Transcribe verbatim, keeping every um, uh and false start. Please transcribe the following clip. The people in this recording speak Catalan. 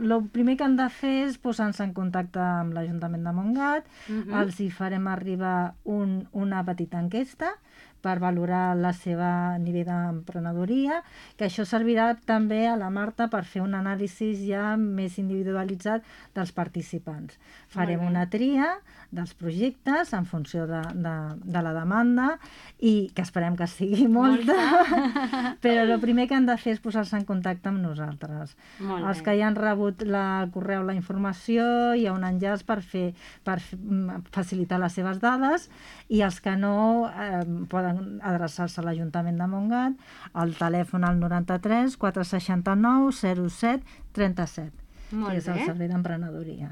el primer que han de fer és posar-se en contacte amb l'Ajuntament de Montgat, Mhm. els hi farem arribar un, una petita enquesta per valorar la seva nivell d'emprenedoria, que això servirà també a la Marta per fer un anàlisi ja més individualitzat dels participants. Farem Molt bé. una tria dels projectes en funció de, de, de la demanda i que esperem que sigui molta, però el primer que han de fer és posar-se en contacte amb nosaltres. Molt Els bé. que ja han rebut la, el correu, la informació, hi ha un enllaç per, fer, per f- mm, facilitar les seves dades, i els que no eh, poden adreçar-se a l'Ajuntament de Montgat al telèfon al noranta-tres quatre seixanta-nou zero set trenta-set, Molt que és el bé. servei d'emprenedoria.